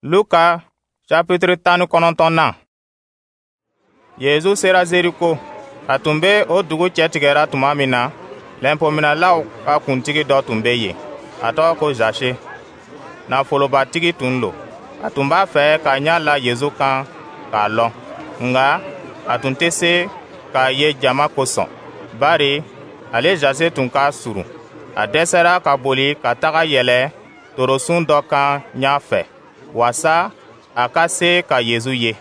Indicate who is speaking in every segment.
Speaker 1: Luka chapitre 19nan. Yezu sera Zeriko. A tun be o dugu cɛtigɛra tuma min na, lɛnpominɛlaw ka kuntigi dɔ tun be yen, a tɔgɔ ko Zase. Nafolobatigi tun lo. A tun b'a fɛ k'a ɲa la Yezu kan k'a lɔn, nka a tun tɛ se k'a ye jama kosɔn, bari ale Zase tun ka surun. A dɛsɛra ka boli ka taga yɛlɛ torosun dɔ kan ɲa fɛ, wasa a ka se ka Yezu ye,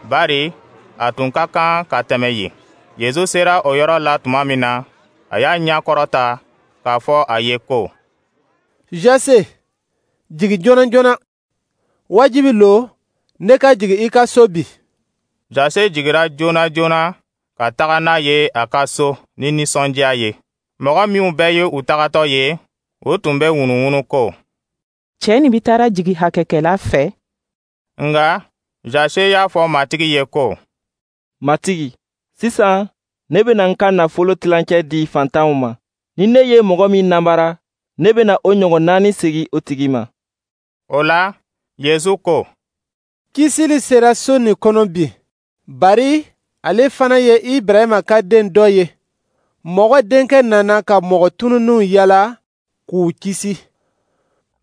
Speaker 1: bari a tun ka kan ka tɛmɛ yen. Yezu sera o yɔrɔ la tuma min na, a y'a ɲɛ kɔrɔta k'a fɔ a ye ko:
Speaker 2: Jase, jigi joona joona. Wajibi lo ne ka jigi i ka so bi.
Speaker 1: Jase jigira joona joona ka taga n'a ye a ka so ni nisɔndiya ye. Mɔgɔ minw bɛɛ ye u tagatɔ ye, u tun bɛ ŋunuŋunu ko:
Speaker 3: Cɛɛ nin bi taara jigi hakɛkɛla fɛ.
Speaker 1: Nka Jase y'a fɔ Matigi ye ko:
Speaker 4: Matigi, sisan ne bena n ka nafolo tilancɛ di fantanw ma. Ni ne ye mɔgɔ min nanbara, ne bena o ɲɔgɔn naani segi o tigi ma.
Speaker 1: O la, Yezu ko:
Speaker 2: Kisili sera so nin kɔnɔ bi, bari ale fana ye Ibrahima ka den dɔ ye. Mɔgɔ Denkɛ nana ka mɔgɔ tununnenw yala k'u kisi.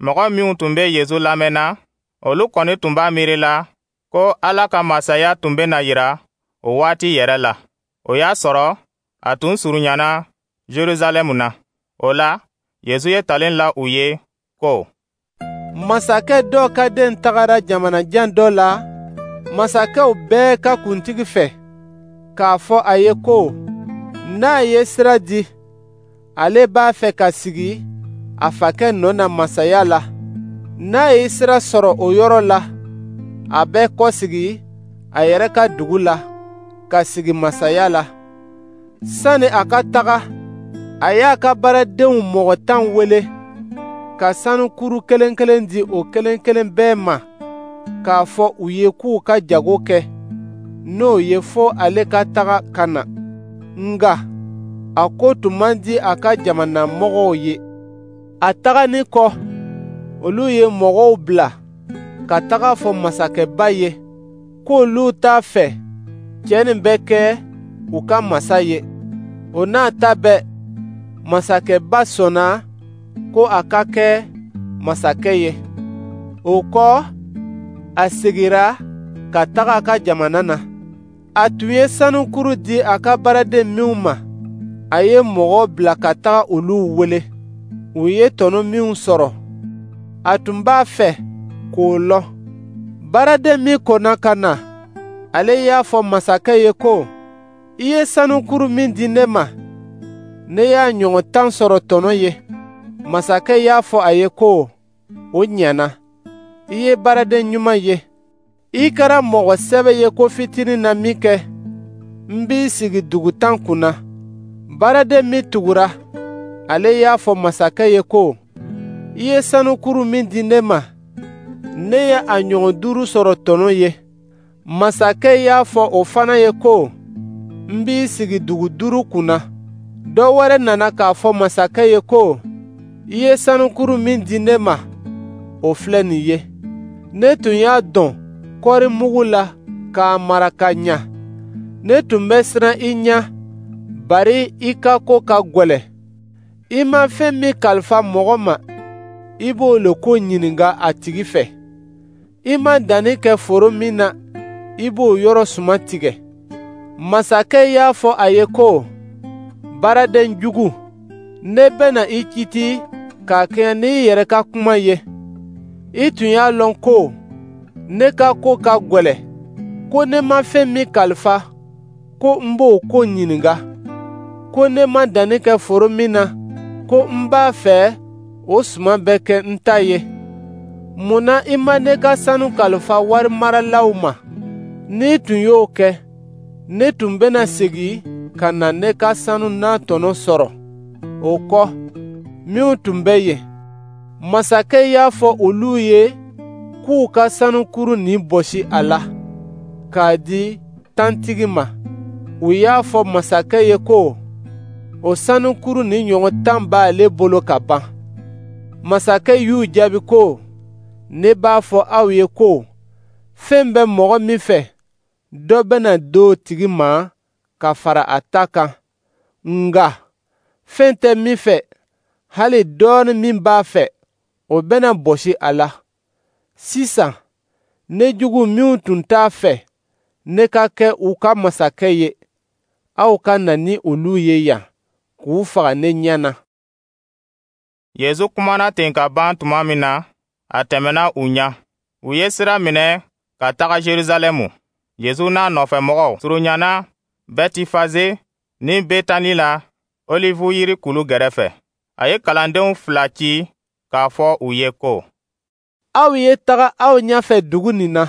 Speaker 1: Mɔgɔ minw tun bɛ Yezu lamɛnna, olu kɔni tun b'a miiri la ko Ala ka masaya tun bɛna yira o waati yɛrɛ la. O y'a sɔrɔ a tun surunyana Jerusalɛmu na. O la, Yezu ye talen la u ye ko:
Speaker 2: Masakɛ dɔ ka den tagara jamana jan dɔ la, masakɛw bɛɛ ka kuntigi fɛ, k'a fɔ a ye ko n'a ye sira di, ale b'a fɛ ka sigi a fakɛ nɔ na masaya la. N'a ye sira sɔrɔ o yɔrɔ la, a bɛ kɔsegi a yɛrɛ ka dugu la ka sigi masaya la. Sani a ka taga, a y'a ka baaradenw mɔgɔ 10 wele ka sanukuru kelen kelen di o kelen kelen bɛɛ ma, k'a fɔ u ye k'u ka jago kɛ n'o ye fo ale ka taga ka na. Nka a ko tun man di a ka jamana mɔgɔw ye. A taganin kɔ, olu ye mɔgɔw bila ka taga fɔ masakɛba ye k'olu t'a fɛ cɛ nin bɛ kɛ u ka masa ye. O n'a ta bɛɛ, masakɛba sɔnna ko a ka kɛ masakɛ ye. O kɔ, a segira ka taga a ka jamana na. A tun ye sanukuru di a ka baaraden minw ma, a ye mɔgɔ bila ka taga olu wele. U ye tɔnɔ minw sɔrɔ, a tun b'a fɛ k'o lɔn. Baaraden min kɔnna ka na, ale y'a fɔ masakɛ ye ko: I ye sanukuru min di ne ma, ne y'a ɲɔgɔn 10 sɔrɔ tɔnɔ ye. Masakɛ y'a fɔ a ye ko: O ɲɛna, i ye baaraden ɲuman ye. I kɛra mɔgɔ sɛbɛ ye ko fitinin na min kɛ, n b'i sigi dugu 10 kunna. Baaraden min tugura, ale y'a fɔ masakɛ ye ko: I ye sanukuru min di ne ma, ne ye a ɲɔgɔn 5 sɔrɔ tɔnɔ ye. Masakɛ y'a fɔ o fana ye ko: N b'i sigi dugu 5 kunna. Dɔ wɛrɛ nana k'a fɔ masakɛ ye ko: I ye sanukuru min di ne ma, o filɛ nin ye. Ne tun y'a dɔn kɔɔri mugu la k'a mara ka ɲa. Ne tun bɛ siran i ɲɛ, bari i ka ko ka gwɛlɛ. I ma fɛn min kalifa mɔgɔ ma, i b'o le ko ɲininka a tigi fɛ. I ma danni kɛ foro min na, i b'o yɔrɔ suman tigɛ. Masakɛ y'a fɔ a ye ko: Baaraden jugu, ne bɛna i kiti k'a kɛɲɛ n'i yɛrɛ ka kuma ye. I tun y'a lɔn ko ne ka ko ka gwɛlɛ, ko ne ma fɛn min kalifa, ko n b'o ko ɲininka, ko ne ma danni kɛ foro min na, ko n b'a fɛ o suman bɛ kɛ n ta ye. Mun na i ma ne ka sanu kalifa warimaralaw ma? N'i tun y'o kɛ, ne tun bɛna segin ka na ne ka sanu n'a tɔnɔ sɔrɔ. O kɔ, minw tun bɛ yen, masakɛ y'a fɔ olu ye k'u ka sanukuru nin bɔsi a la k'a di tantigi ma. U y'a fɔ masakɛ ye ko o sanukuru nin ɲɔgɔn 10 b'ale bolo ka ban. Masakɛ y'u jaabi ko: Ne b'a fɔ aw ye ko Fɛn bɛ mɔgɔ min fɛ, dɔ bɛna di o tigi ma ka fara a ta kan. Nka fɛn tɛ min fɛ, hali dɔɔnin min b'a fɛ, o bɛna bɔsi a la. Sisan, ne jugu minw tun t'a fɛ ne ka kɛ u ka masakɛ ye, aw ka na ni olu ye yan k'u faga ne ɲɛ na.
Speaker 1: Yezu kumana ten ka ban tuma min na, a tɛmɛna u ɲɛ. U ye sira minɛ ka taga Jerusalɛmu. Yezu n'a nɔfɛmɔgɔw surunyana Bɛtifaze ni Betani la, Olivu yiri kulu gɛrɛfɛ. A ye kalandenw fila ci k'a fɔ u ye ko:
Speaker 2: Aw ye taga aw ɲɛfɛ dugu nin na.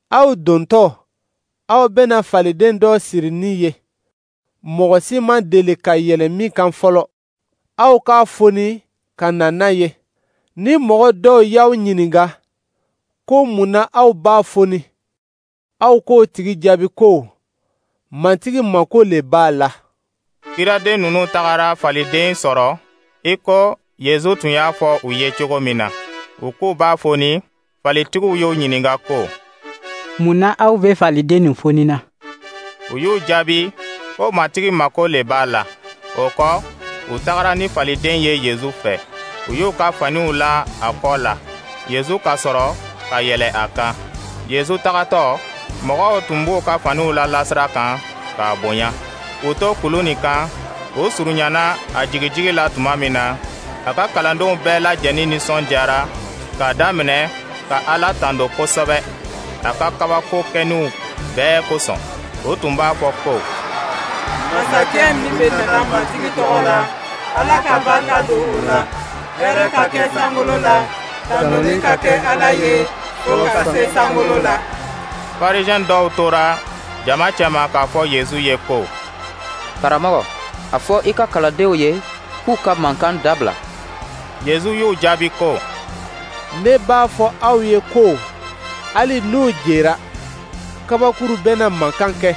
Speaker 2: Aw dontɔ, aw bɛna faliden dɔ sirinin ye, mɔgɔ si ma deli ka yɛlɛn min kan fɔlɔ. Aw k'a foni ka na n'a ye. Ni mɔgɔ dɔw y'aw ɲininka ko mun na aw b'a foni, aw k'o tigi jaabi ko Matigi mako le b'a la.
Speaker 1: Kiraden ninnu tagara faliden sɔrɔ i ko Yezu tun y'a fɔ u ye cogo min na. U k'u b'a foni, falitigiw y'u ɲininka ko:
Speaker 5: Mun na aw bɛ faliden nin foni na?
Speaker 1: U y'u jaabi ko Matigi mako le b'a la. O kɔ, u tagara ni faliden ye Yezu fɛ. U y'u ka faniw la a kɔ la. Yezu ka sɔrɔ ka yɛlɛ a kan. Yezu tagatɔ, mɔgɔw tun b'u ka faniw la lasira kan k'a bonya. U to kulu nin kan, u surunyana a jigijigi la tuma min na, a ka kalandenw bɛɛ lajɛnin nisɔndiyara k'a daminɛ ka Ala tando kosɛbɛ a ka kabako kɛninw bɛɛ kosɔn. U tun b'a fɔ ko:
Speaker 6: Masakɛ min bɛ nana Matigi tɔgɔ la, Ala ka barika don o la. Hɛrɛ ka kɛ sankolo la, tanuli ka kɛ Ala ye fo ka se sankolo la.
Speaker 1: Farisɛn dɔw tora jama cɛma k'a fɔ Yezu ye ko:
Speaker 7: Karamɔgɔ, a fɔ i ka kalandenw ye k'u ka mankan dabila.
Speaker 1: Yezu y'u jaabi ko:
Speaker 2: Ne b'a fɔ aw ye ko hali n'u jera, kabakuru bɛna mankan kɛ.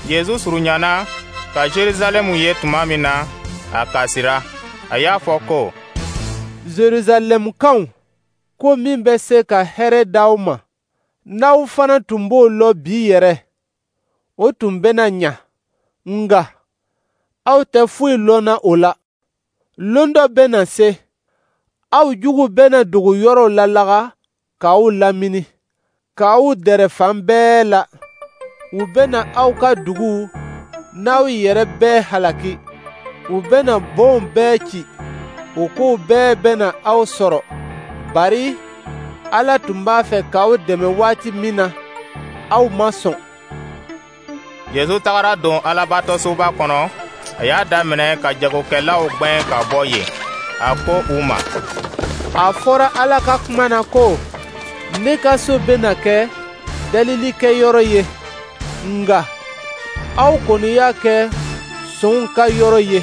Speaker 1: Yezu surunyana ka Jerusalɛmu ye tuma min na, a kasira. A y'a fɔ ko:
Speaker 2: Jerusalɛmukaw, ko min bɛ se ka hɛrɛ d'aw ma, n'aw fana tun b'o lɔn bi yɛrɛ, o tun bɛna ɲa. Nka aw tɛ foyi lɔnna o la. Lon dɔ bɛna se, aw jugu bɛna dugu yɔrɔw lalaga k'aw lamini, k'aw dɛrɛ fan bɛɛ la. U bɛna aw ka duguw n'aw yɛrɛ bɛɛ halaki. U bɛna bonw bɛɛ ci. O kow bɛɛ bɛna aw sɔrɔ, bari Ala tun b'a fɛ k'aw dɛmɛ waati min na, aw ma sɔn.
Speaker 1: Yezu tagara don Alabatosoba kɔnɔ. A y'a daminɛ ka jagokɛlaw gwɛn ka bɔ yen. A ko u ma:
Speaker 2: A fɔra Ala ka kuma na ko: Ne ka so bɛna kɛ dalilikɛyɔrɔ ye, nka aw kɔni y'a kɛ sonw ka yɔrɔ ye.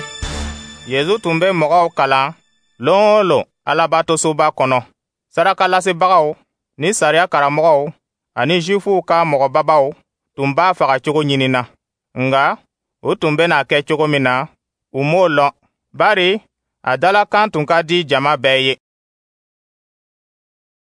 Speaker 1: Yezu tun bɛ mɔgɔw kalan lon o lon Alabatosoba kɔnɔ. Sarakalasebagaw ni sariya karamɔgɔw ani Zuwifuw ka mɔgɔbabaw tun b'a faga cogo ɲinina. Nka u tun bɛna kɛ cogo min na, u m'o lɔn, bari a dalakan tun ka di jama bɛɛ ye.